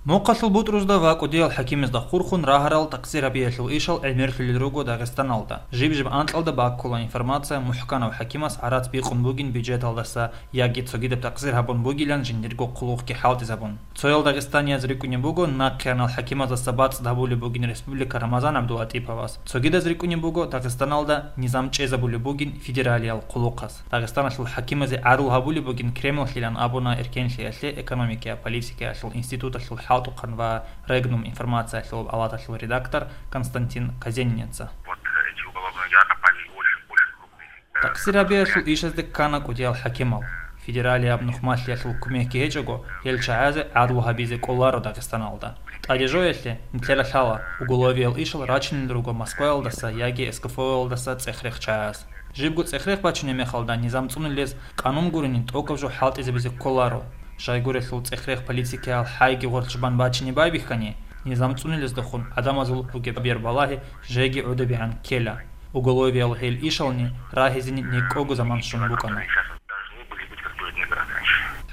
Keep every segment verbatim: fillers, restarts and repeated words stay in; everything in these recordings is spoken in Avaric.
Мухъалъул бутӀрузда ва кӀудиял хӀакимазда хурхун рагьарал такъсир гьабиялъул ишал гӀемерлъулел руго Дагъистаналда. Жиб-жиб анкьалда баккула информация мухӀканав хӀакимас гӀарац бикъун бугин бюджеталдаса яги цогидаб такъсир гьабун бугилан жиндирго хъулухъги хӀалтӀизабун. Цоял дагъистанияз рикӀкӀунеб буго нахъеянал хӀакимаздаса бацӀцӀад гьабулеб бугин республика Рамазан ГӀабдулатӀиповас, цогидаз рикӀкӀунеб буго Дагъистаналда низам чӀезабулеб бугин федералиял хъулухъас. Дагъистаналъул хӀакимазе гӀадлу гьабулеб бугин Кремллъилан абуна эркенлъиялъе экономикая политикаялъул институталъул хӀалтӀухъан ва Регнум информациялъул палаталъул редактор Константин Казенинеца. Вот эти уголовные дела попали в очень, очень крупные федеральные. Такъсир гьабиялъул ишазде ккана кӀудиял хӀакимал. Федералияб нухмалъиялъул кумекги гьечӀого, гьел чагӀазе гӀадлу гьабизе кӀоларо Дагъистаналда. ТӀаде жоялъе, нилъеда лъала, уголовиял ишал рачунел руго Москваялдаса яги СКФО-ялдаса цӀех-рех чагӀаз. Жибго цӀех-рех бачунеб мехалда низам цӀунулез къанун гурони тӀокӀаб жо хӀалтӀизабизе кколаро. Щайгурелъул цӀех-рех политикаял хӀайги гъоркьчӀбан бачине байбихьани, низам цӀунулездехун гӀадамазул бугеб бербалагьи жеги гӀодобегӀан ккела. Уголовиял гьел ишални рагьизени некӀого заман щун букӀана.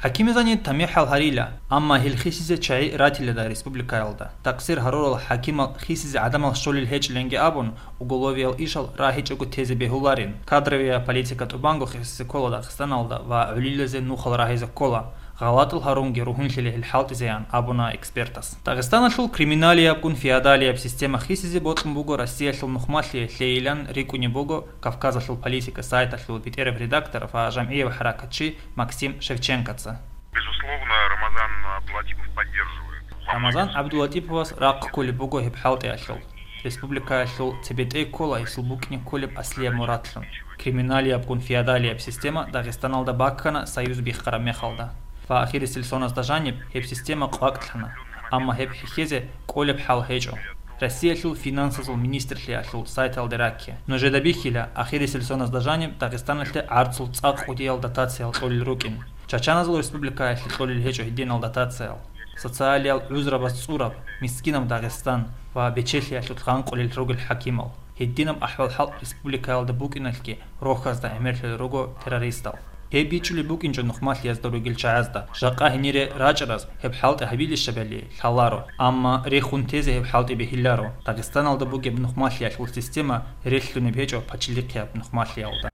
ХӀакимзани тамихӀал гьарила, амма гьел хисизе чагӀи ратилада республикаялда. Такъсир гьарурал хӀакимал хисизе гӀадамал щолел гьечӀиланги абун, уголовиял ишал рагьичӀого тезе бегьуларин. Кадровия политика тӀубанго хисизе ккола Дагъистаналда ва гӀолилазе нухал рагьизе ккола. ГъалатӀал гьарунги ругьунлъила гьел хӀалтӀизеян, абуна экспертас. Дагъистаналъул криминалиябгун феодалияб система хисизе бокьун буго Россиялъул нухмалъи лъейилан рикӀкӀунеб буго Кавказалъул политика сайталъул бетӀераб редактор ва жамгӀияб хӀаракатчи Максим Шевченкоца. Безусловно, Рамазан Абдулатипов поддерживает. Рамазан ГӀабдулатӀиповас рахъ кколеб буго гьеб хӀалтӀиялъул. Республикаялъул цебетӀей ккола гьесул букӀине кколеб аслияб мурадлъун. Криминалиябгун феодалияб система Дагъистаналда баккана союз биххараб мехалда. Ва ахирисел соназда жаниб гьеб система къвакӀлъана, амма гьеб хӀехьезе кӀолеб хӀал гьечӀо. Россиялъул финансазул министрлъиялъул сайталде ракке. Нужеда бихьила, ахирисел соназда жаниб Дагъистаналъе гӀарцул цӀакъ кӀудиял дотациял кьолел рукӀин. Чачаназул республикаялъе кьолел гьечӀо гьединал дотациял. Социалиял гӀузрабаз цӀураб, мискинаб Дагъистан ва бечелъиялъулъ гъанкъулел ругел хӀакимал. Гьединаб ахӀвал-хӀал республикаялда букӀиналъги рохьазда гӀемерлъулел руго террористал. Гьеб бичӀчӀулеб букӀинчӀо нухмалъиязда ругел чагӀазда, жакъа гьенире рачӀараз гьеб хӀалтӀи гьабилищали лъаларо, амма рехун тезе гьеб хӀалтӀи бегьиларо. Дагъистаналда бугеб нухмалъиялъул система релълъунеб гьечӀо пачалихъияб нухмалъиялда.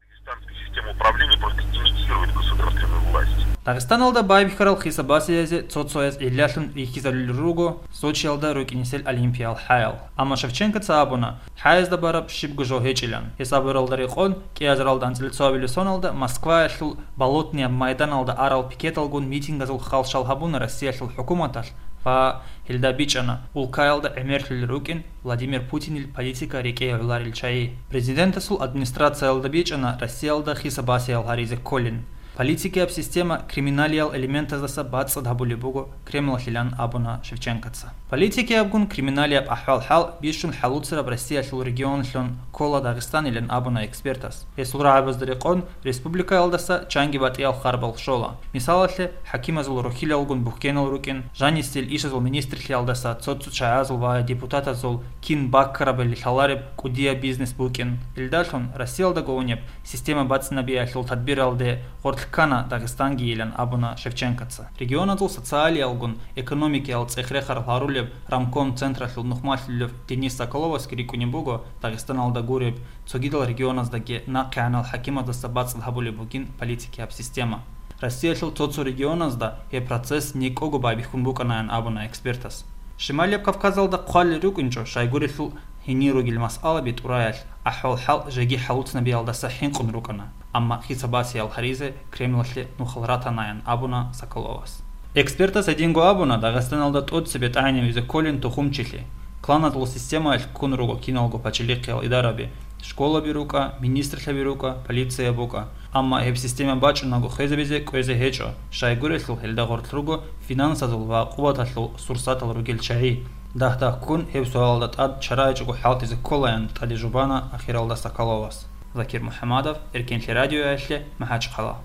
Система управления просто имитирует государственную власть. Дагъистаналда байбихьарал хисаб-басиязе цо-цояз гӀиллалъун рихьизарулел руго Сочиялда рукӀинесел олимпиял хӀаял. Амма Шевченкоца абуна, хӀаязда бараб щибго жо гьечӀилан. Гьесабуралда рекъон, кӀиазаралда анцӀила цоабилеб соналда Москваялъул Болотный майданалда арал пикеталгун митингазул халщал гьабуна Россиялъул хӀукуматалъ ва гьелда бичӀчӀана улкаялда гӀемерлъулел рукӀин Владимир Путинил политика рекӀее гӀоларел чагӀи. Президентасул администрациялда бичӀчӀана Россиялда хисаб-басиял гьаризе кколин. Политикияб система криминалиял элементаздаса бацӀцӀад гьабулеб буго Кремлалъилан абуна Шевченкоца. Политикиябгун криминалияб ахӀвал-хӀал бищун хӀалуцараб Россиялъул регионалъун ккола Дагъистанилан абуна экспертас. Гьесул рагӀабазда рекъон республикаялдаса чанги батӀиял харбал щола. Мисалалъе, хӀакимазул рохьилалгун бухьенал рукӀин, жанисел ишазул министрлъиялдаса цо-цо чагӀазул ва депутатазул кин баккарабали лъалареб кӀудияб бизнес букӀин. Илдалъун Россиялдаго унеб система бацӀцӀинабиялъул тадбиралде гъоркь ккана Дагъистангийилан абуна Шевченкоца. Регионазул социалиялгун экономикиял цӀех-рехарал гьарулеб Рамком централъул нухмалъулев Денис Соколовасги рикӀкӀунеб буго Дагъистаналда гуреб, цогидал регионаздаги нахъегӀанал хӀакимаздаса бацӀцӀад гьабулеб бугин политикияб система. Россиялъул цо-цо регионазда гьеб процесс некӀого байбихьун букӀанаян абуна экспертас. Шималияб Кавказалда хъвалел рукӀинчӀо, щайгурелъул гьенир ругел масъалаби тӀураялъ, ахӀвал-хӀал жеги хӀалуцнабиялдаса хӀинкъун рукӀана, амма хисаб-басиял гьаризе Кремлалъе нухал ратанаян абуна Соколовас. Экспертас гьединго абуна, Дагъистаналда тӀоцебе тӀагӀинавизе кколин тухумчилъи. Кланазул системаялъ ккун руго киналго пачалихъиял идараби, школаби рукӀа, министрлъаби рукӀа, полиция букӀа. Амма гьеб система бачӀунаго хвезабизе кӀвезе гьечӀо, щайгурелъул гьелда гъоркь руго финансазул ва къуваталъул сурсатал ругел чагӀи. Дагь-дагьккун гьеб суалалда тӀад чара гьечӀого хӀалтӀизе кколаян тӀаде жубана ахиралда Соколовас. Закир МухӀамадов, Эркенлъи радиоялъе, МахӀачхъала.